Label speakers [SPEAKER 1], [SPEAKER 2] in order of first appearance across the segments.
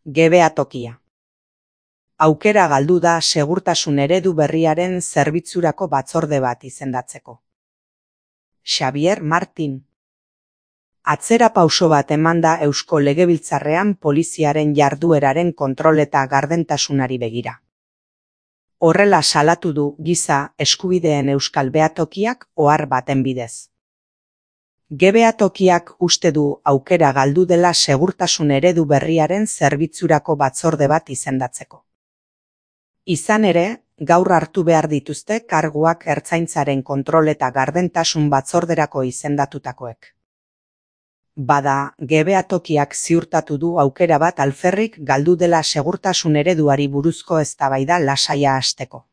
[SPEAKER 1] Gebea tokia. Aukera galdu da segurtasun eredu berriaren zerbitzurako batzorde bat izendatzeko. Xabier Martin. Atzera pauso bat eman da Eusko Legebiltzarrean poliziaren jardueraren kontrol eta gardentasunari begira. Horrela salatu du Giza Eskubideen Euskal Behatokiak ohar baten bidez. Behatokiak uste du aukera galdu dela segurtasun eredu berriaren zerbitzurako batzorde bat izendatzeko. Izan ere, gaur hartu behar dituzte karguak ertzaintzaren kontrol eta gardentasun batzorderako izendatutakoek. Bada, behatokiak ziurtatu du aukera bat alferrik galdu dela segurtasun ereduari buruzko eztabaida lasaia hasteko.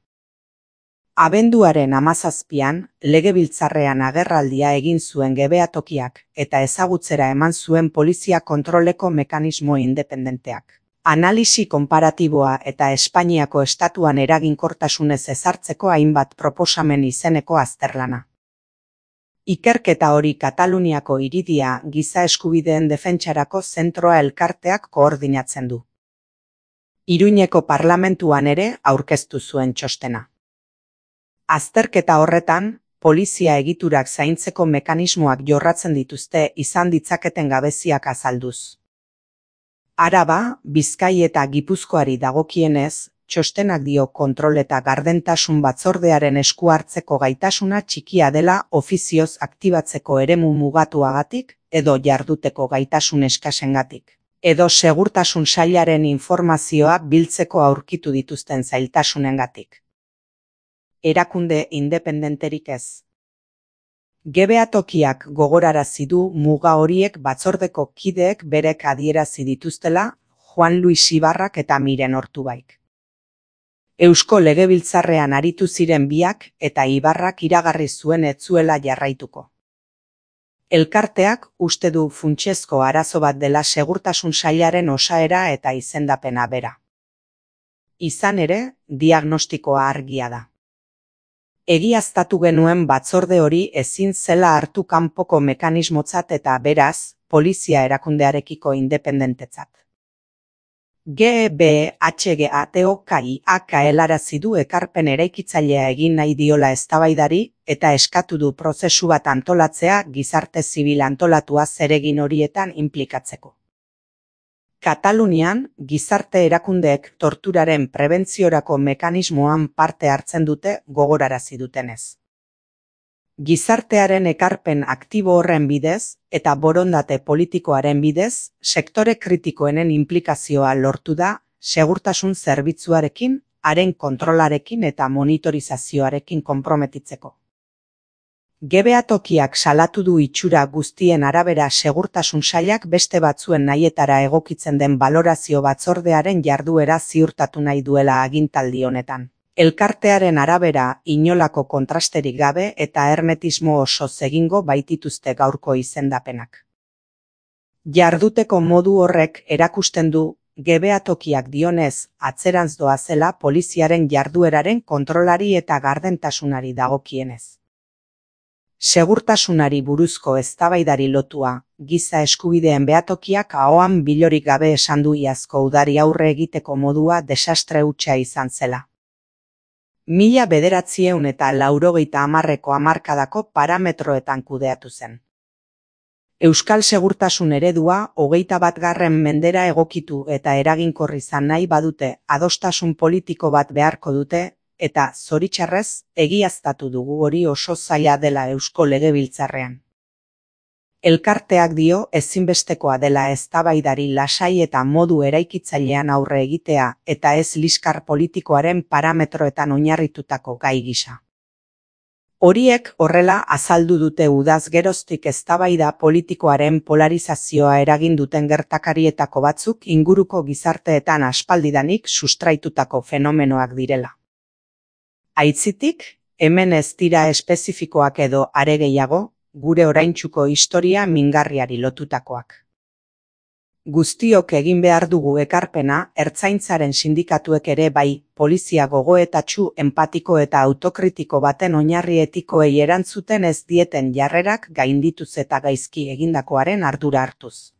[SPEAKER 1] Abenduaren 17an, Legebiltzarrean agerraldia egin zuen behatokiak eta ezagutzera eman zuen polizia kontroleko mekanismo independenteak. Analisi konparatiboa eta Espainiako estatuan eraginkortasunez ezartzeko hainbat proposamen izeneko azterlana. Ikerketa hori Kataluniako Iridia Giza Eskubideen Defentsarako Zentroa elkarteak koordinatzen du. Iruñeko parlamentuan ere aurkeztu zuen txostena. Azterketa horretan, polizia egiturak zaintzeko mekanismoak jorratzen dituzte izan ditzaketen gabeziak azalduz. Araba, Bizkai eta Gipuzkoari dagokienez, txostenak dio kontrol eta gardentasun batzordearen esku hartzeko gaitasuna txikia dela ofizioz aktibatzeko eremu mugatuagatik edo jarduteko gaitasun eskasengatik, edo segurtasun sailaren informazioa biltzeko aurkitu dituzten zailtasunengatik. Erakunde independenterik ez. Behatokiak gogorarazi du muga horiek batzordeko kideek berek adierazi dituztela Juan Luis Ibarrak eta Miren Ortubaik. Eusko Legebiltzarrean aritu ziren biak eta Ibarrak iragarri zuen ez zuela jarraituko. Elkarteak uste du funtsezko arazo bat dela segurtasun sailaren osaera eta izendapena bera. Izan ere, diagnostikoa argia da. Egiaztatu genuen batzorde hori ezin zela hartu kanpoko mekanismotzat eta beraz, polizia erakundearekiko independentetzat. GBHGATOKIak helarazi du ekarpen eraikitzailea egin nahi diola eztabaidari eta eskatu du prozesu bat antolatzea gizarte zibil antolatua zeregin horietan inplikatzeko. Katalunian, gizarte erakundeek torturaren prebentziorako mekanismoan parte hartzen dute gogorarazi dutenez. Gizartearen ekarpen aktibo horren bidez eta borondate politikoaren bidez, sektore kritikoenen inplikazioa lortu da segurtasun zerbitzuarekin, haren kontrolarekin eta monitorizazioarekin konprometitzeko. Behatokiak salatu du itxura guztien arabera segurtasun sailak beste batzuen nahietara egokitzen den balorazio batzordearen jarduera ziurtatu nahi duela agintaldi honetan. Elkartearen arabera inolako kontrasterik gabe eta hermetismo osoz egingo baitituzte gaurko izendapenak. Jarduteko modu horrek erakusten du behatokiak dionez atzerantz doazela poliziaren jardueraren kontrolari eta gardentasunari dagokienez. Segurtasunari buruzko eztabaidari lotua, Giza Eskubideen Behatokiak ahoan bilorik gabe esan du iazko udari aurre egiteko modua desastre hutsa izan zela. 1980ko hamarkadako parametroetan kudeatu zen. Euskal segurtasun eredua 21. mendera egokitu eta eraginkor izan nahi badute adostasun politiko bat beharko dute, eta zoritxarrez egiaztatu dugu hori oso zaila dela Eusko Legebiltzarrean. Elkarteak dio ezinbestekoa dela eztabaidari lasai eta modu eraikitzailean aurre egitea eta ez liskar politikoaren parametroetan oinarritutako gai gisa. Horiek horrela azaldu dute udaz geroztik eztabaida politikoaren polarizazioa eragin duten gertakarietako batzuk inguruko gizarteetan aspaldidanik sustraitutako fenomenoak direla. Aitzitik, hemen ez dira espezifikoak edo are gehiago, gure oraintsuko historia mingarriari lotutakoak. Guztiok egin behar dugu ekarpena, ertzaintzaren sindikatuek ere bai, polizia gogoetatsu, empatiko eta autokritiko baten oinarri etikoei erantzuten ez dieten jarrerak gaindituz eta gaizki egindakoaren ardura hartuz.